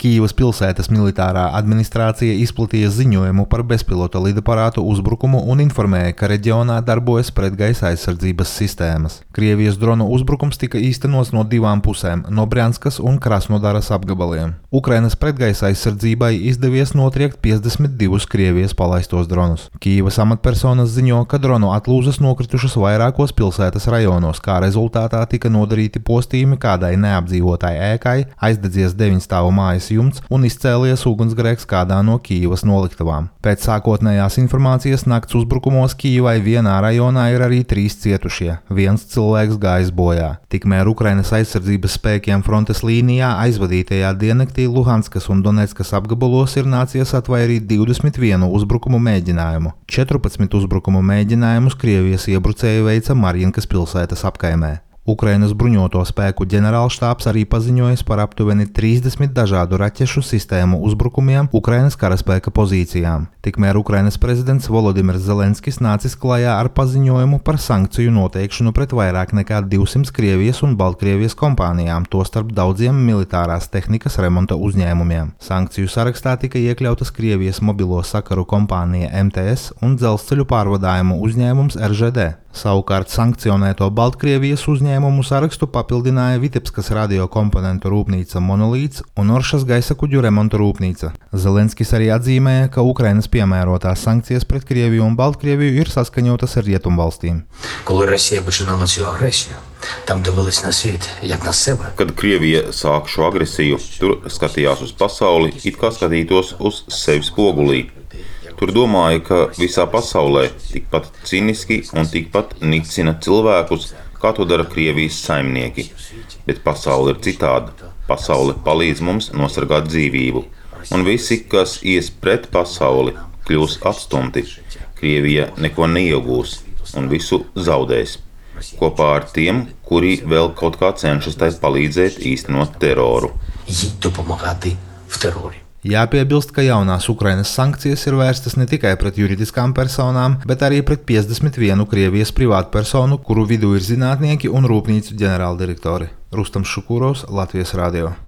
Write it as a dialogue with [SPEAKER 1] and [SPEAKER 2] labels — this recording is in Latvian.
[SPEAKER 1] Kīivas pilsētas militārā administrācija izplatīja ziņojumu par bezpilota lidaparātu uzbrukumu un informēja, ka reģionā darbojas pretgaisa aizsardzības sistēmas. Krievijas dronu uzbrukums tika īstenots no divām pusēm – no Brjanskas un Krasnodaras apgabaliem. Ukrainas pretgaisa aizsardzībai izdevies notriekt 52 Krievijas palaistos dronus. Kīivas amatpersonas ziņo, ka dronu atlūzas nokritušas vairākos pilsētas rajonos, kā rezultātā tika nodarīti postījumi kādai neapdzīvotai ēkai, aizdedzies 9 stāvu mājas jumts un izcēlies ugunsgrēks kādā no Kīivas noliktavām. Pēc sākotnējās informācijas nakts uzbrukumos Kīivai vienā rajonā ir arī 3 cietušie, 1 cilvēks gājis bojā. Tikmēr Ukrainas aizsardzības spēkiem frontes līnijā aizvadītajā diennaktī Luhanskas un Donetskas apgabalos ir nācies atvairīt 21 uzbrukumu mēģinājumu. 14 uzbrukumu mēģinājumus Krievijas iebrucēji veica Marjinkas pilsētas apkaimē. Ukrainas bruņoto spēku ģenerālštābs arī paziņojis par aptuveni 30 dažādu raķešu sistēmu uzbrukumiem Ukrainas karaspēka pozīcijām. Tikmēr Ukrainas prezidents Volodimirs Zelenskis nācis klajā ar paziņojumu par sankciju noteikšanu pret vairāk nekā 200 Krievijas un Baltkrievijas kompānijām, tostarp daudziem militārās tehnikas remonta uzņēmumiem. Sankciju sarakstā tika iekļautas Krievijas mobilo sakaru kompānija MTS un dzelzceļu pārvadājumu uzņēmums RŽD. Savukārt sankcionēto Baltkrievijas uzņēmumu sarakstu papildināja Vitebskas radiokomponentu rūpnīca Monolīts un Oršas gaisa kuģu remonta rūpnīca. Zelenskis arī atzīmēja, ka Ukrainas piemērotās sankcijas pret Krieviju un Baltkrieviju ir saskaņotas ar rietumvalstīm.
[SPEAKER 2] Kad Krievija sāk šo agresiju, tur skatījās uz pasauli, it kā skatītos uz sevi spogulī. Tur domāja, ka visā pasaulē tikpat ciniski un tikpat nicina cilvēkus, kā to dara Krievijas saimnieki. Bet pasaule ir citāda. Pasaule palīdz mums nosargāt dzīvību. Un visi, kas ies pret pasauli, kļūs atstumti. Krievija neko neiegūs un visu zaudēs. Kopā ar tiem, kuri vēl kaut kā cenšas tai palīdzēt īstenot teroru.
[SPEAKER 1] Jāpiebilst, ka jaunās Ukrainas sankcijas ir vērstas ne tikai pret juridiskām personām, bet arī pret 51 Krievijas privātpersonu, kuru vidū ir zinātnieki un rūpnīcu ģenerāldirektori. Rustams Šukurovs, Latvijas radio.